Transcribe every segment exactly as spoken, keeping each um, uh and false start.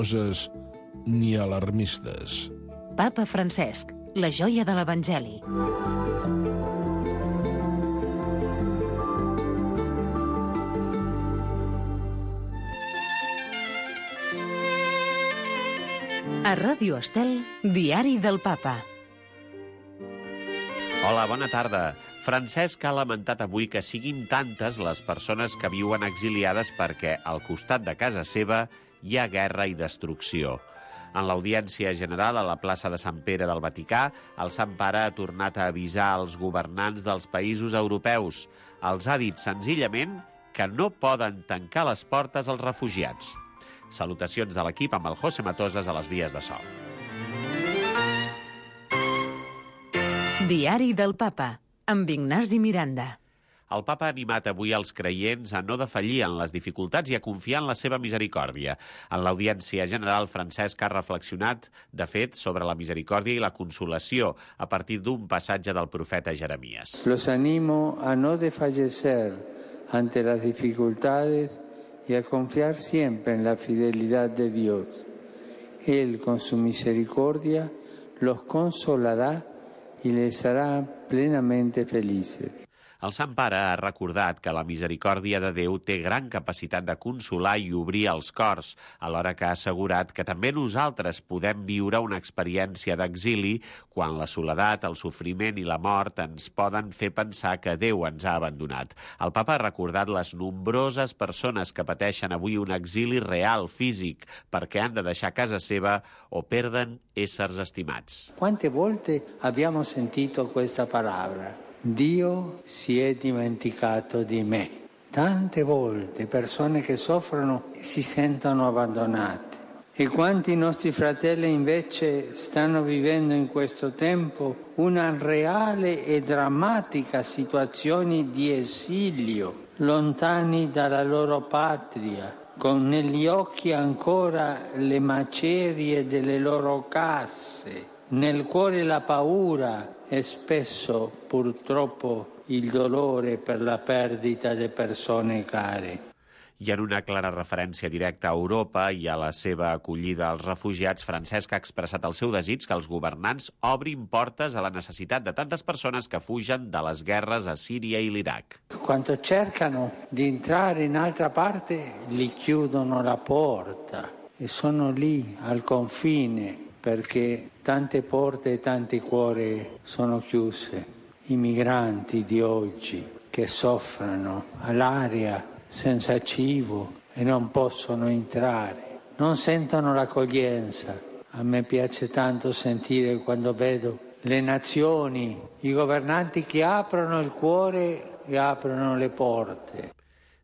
religioses ni alarmistes. Papa Francesc, la joia de l'Evangeli. A Ràdio Estel, Diari del Papa. Hola, bona tarda. Francesc ha lamentat avui que siguin tantes les persones que viuen exiliades perquè al costat de casa seva hi ha guerra i destrucció. En l'audiència general a la plaça de Sant Pere del Vaticà, el Sant Pare ha tornat a avisar els governants dels països europeus. Els ha dit senzillament que no poden tancar les portes als refugiats. Salutacions de l'equip amb el José Matoses a les vies de so. Diari del Papa, amb Ignasi Miranda. El Papa ha animat avui els creients a no defallir en les dificultats i a confiar en la seva misericòrdia. En l'audiència general, Francesc ha reflexionat, de fet, sobre la misericòrdia i la consolació a partir d'un passatge del profeta Jeremies. Los animo a no desfallecer ante las dificultades y a confiar siempre en la fidelidad de Dios. Él, con su misericordia, los consolará y les hará plenamente felices. El Sant Pare ha recordat que la misericòrdia de Déu té gran capacitat de consolar i obrir els cors, alhora que ha assegurat que també nosaltres podem viure una experiència d'exili quan la soledat, el sofriment i la mort ens poden fer pensar que Déu ens ha abandonat. El Papa ha recordat les nombroses persones que pateixen avui un exili real, físic, perquè han de deixar casa seva o perden éssers estimats. Quante volte abbiamo sentito questa parola? Dio si è dimenticato di me. Tante volte persone che soffrono e si sentono abbandonate. E quanti nostri fratelli invece stanno vivendo in questo tempo una reale e drammatica situazione di esilio, lontani dalla loro patria, con negli occhi ancora le macerie delle loro case, nel cuore la paura e spesso purtroppo il dolore per la perdita di persone care. I en una clara referència directa a Europa i a la seva acollida als refugiats, Francesc ha expressat el seu desig que els governants obrin portes a la necessitat de tantes persones que fugen de les guerres a Síria i l'Iraq. Quando cercano di entrare in altra parte, gli chiudono la porta e sono lì al confine perché tante porte e tanti cuori sono chiuse. I migranti di oggi che soffrono all'aria senza cibo e non possono entrare, non sentono l'accoglienza. A me piace tanto sentire quando vedo le nazioni, i governanti che aprono il cuore e aprono le porte.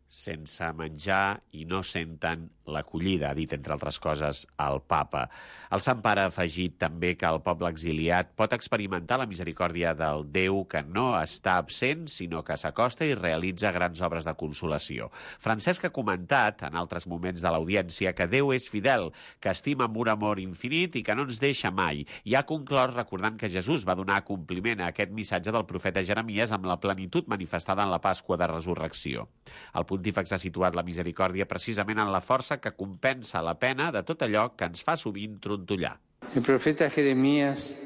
Sense menjar i no senten l'acollida, ha dit, entre altres coses, el Papa. El Sant Pare ha afegit també que el poble exiliat pot experimentar la misericòrdia del Déu que no està absent, sinó que s'acosta i realitza grans obres de consolació. Francesc ha comentat, en altres moments de l'audiència, que Déu és fidel, que estima amb un amor infinit i que no ens deixa mai. I ha conclòs recordant que Jesús va donar compliment a aquest missatge del profeta Jeremies amb la plenitud manifestada en la Pasqua de Resurrecció. El pontífex ha situat la misericòrdia precisament en la força que compensa la pena de tot allò que ens fa sovint trontollar. El profeta Jeremías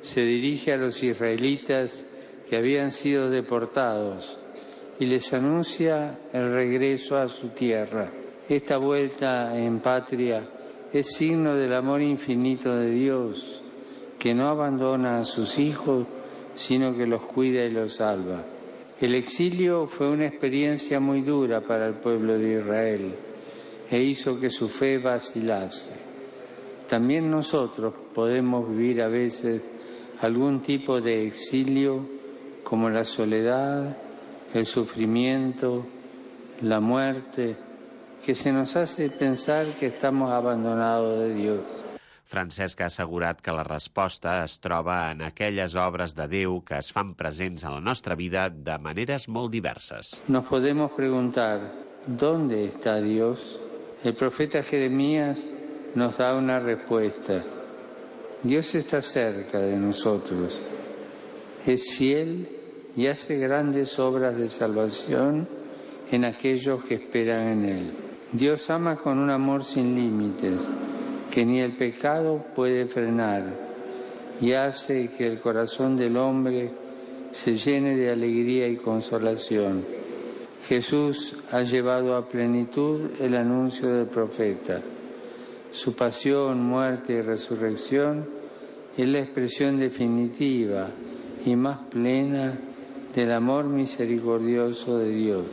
se dirige a los israelitas que habían sido deportados y les anuncia el regreso a su tierra. Esta vuelta en patria es signo del amor infinito de Dios, que no abandona a sus hijos, sino que los cuida y los salva. El exilio fue una experiencia muy dura para el pueblo de Israel e hizo que su fe vacilase. También nosotros podemos vivir a veces algún tipo de exilio como la soledad, el sufrimiento, la muerte, que se nos hace pensar que estamos abandonados de Dios. Francesc ha assegurat que la resposta es troba en aquelles obres de Déu que es fan presents en la nostra vida de maneres molt diverses. Nos podemos preguntar, ¿dónde está Dios? El profeta Jeremías nos da una respuesta. Dios está cerca de nosotros. Es fiel y hace grandes obras de salvación en aquellos que esperan en Él. Dios ama con un amor sin límites que ni el pecado puede frenar y hace que el corazón del hombre se llene de alegría y consolación. Jesús ha llevado a plenitud el anuncio del profeta. Su pasión, muerte y resurrección es la expresión definitiva y más plena del amor misericordioso de Dios.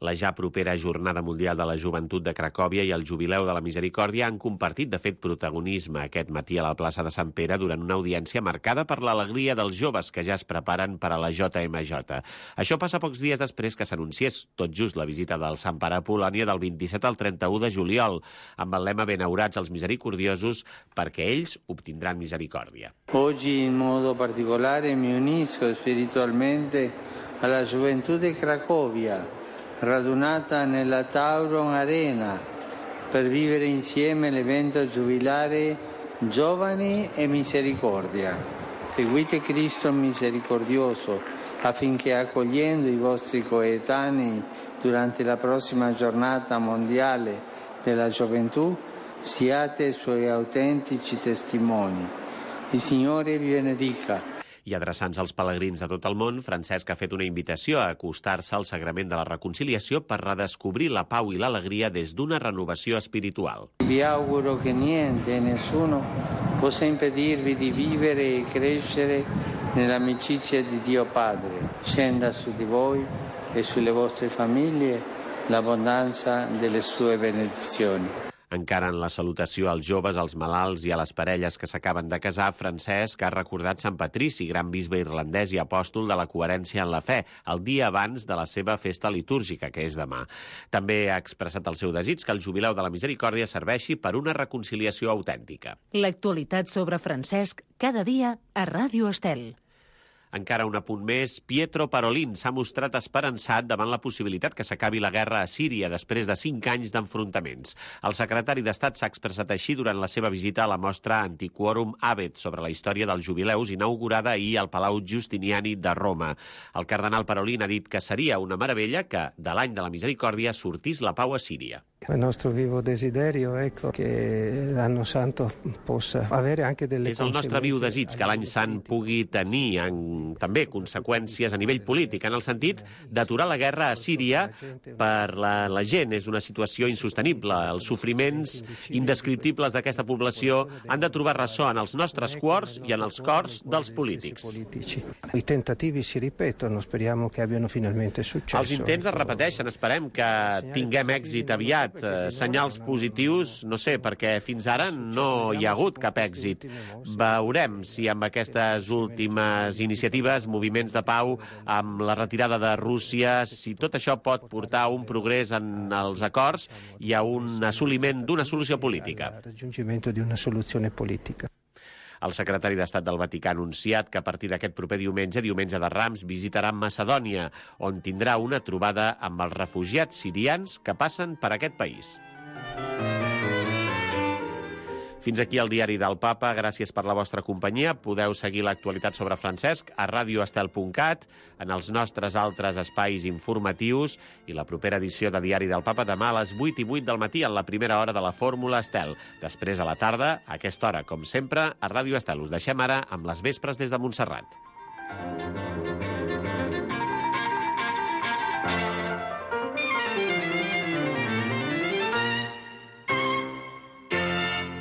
La ja propera Jornada Mundial de la Joventut de Cracòvia i el Jubileu de la Misericòrdia han compartit, de fet, protagonisme aquest matí a la plaça de Sant Pere durant una audiència marcada per l'alegria dels joves que ja es preparen per a la J M J. Això passa pocs dies després que s'anunciés tot just la visita del Sant Pare a Polònia del vint-i-set al trenta-u de juliol, amb el lema Benaurats els misericordiosos, perquè ells obtindran misericòrdia. Oggi in modo particolare mi unisco spiritualmente alla gioventù di Cracovia, radunata nella Tauron Arena per vivere insieme l'evento giubilare Giovani e Misericordia. Seguite Cristo misericordioso affinché, accogliendo i vostri coetanei durante la prossima giornata mondiale della gioventù, siate suoi autentici testimoni. Il Signore vi benedica. I adreçant-se als pelegrins de tot el món, Francesc ha fet una invitació a acostar-se al sagrament de la reconciliació per redescobrir la pau i l'alegria des d'una renovació espiritual. Vi auguro che niente e nessuno possa impedirvi di vivere e crescere nell'amicizia di Dio Padre. Scenda su di voi e sulle vostre famiglie l'abbondanza delle sue benedizioni. Encara en la salutació als joves, als malalts i a les parelles que s'acaben de casar, Francesc ha recordat Sant Patrici, gran bisbe irlandès i apòstol de la coherència en la fe, el dia abans de la seva festa litúrgica, que és demà. També ha expressat el seu desig que el Jubileu de la Misericòrdia serveixi per una reconciliació autèntica. L'actualitat sobre Francesc cada dia a Ràdio Estel. Encara un apunt més, Pietro Parolin s'ha mostrat esperançat davant la possibilitat que s'acabi la guerra a Síria després de cinc anys d'enfrontaments. El secretari d'Estat s'ha expressat així durant la seva visita a la mostra Antiquorum Abet sobre la història dels jubileus, inaugurada ahir al Palau Giustiniani de Roma. El cardenal Parolin ha dit que seria una meravella que, de l'any de la misericòrdia, sortís la pau a Síria. Il nostro vivo desiderio è che l'anno santo possa avere anche delle És el nostre viu desig que l'any sant pugui tenir en, també conseqüències a nivell polític, en el sentit d'aturar la guerra a Síria per la, la gent. És una situació insostenible. Els sofriments indescriptibles d'aquesta població han de trobar ressò en els nostres cors i en els cors dels polítics. I tentativi si ripetono, speriamo che abbiano finalmente successo. Els intents es repeteixen, esperem que tinguem èxit aviat. Senyals positius, no sé, perquè fins ara no hi ha hagut cap èxit. Veurem si amb aquestes últimes iniciatives, moviments de pau, amb la retirada de Rússia, si tot això pot portar a un progrés en els acords i a un assoliment d'una solució política. Raggiungimento di una soluzione politica. El secretari d'Estat del Vaticà ha anunciat que a partir d'aquest proper diumenge, diumenge de Rams, visitarà Macedònia, on tindrà una trobada amb els refugiats sirians que passen per aquest país. Fins aquí el diari del Papa. Gràcies per la vostra companyia. Podeu seguir l'actualitat sobre Francesc a radioestel punt cat, en els nostres altres espais informatius i la propera edició de Diari del Papa demà a les vuit i vuit del matí en la primera hora de la Fórmula Estel. Després a la tarda, a aquesta hora, com sempre, a Ràdio Estel. Us deixem ara amb les vespres des de Montserrat.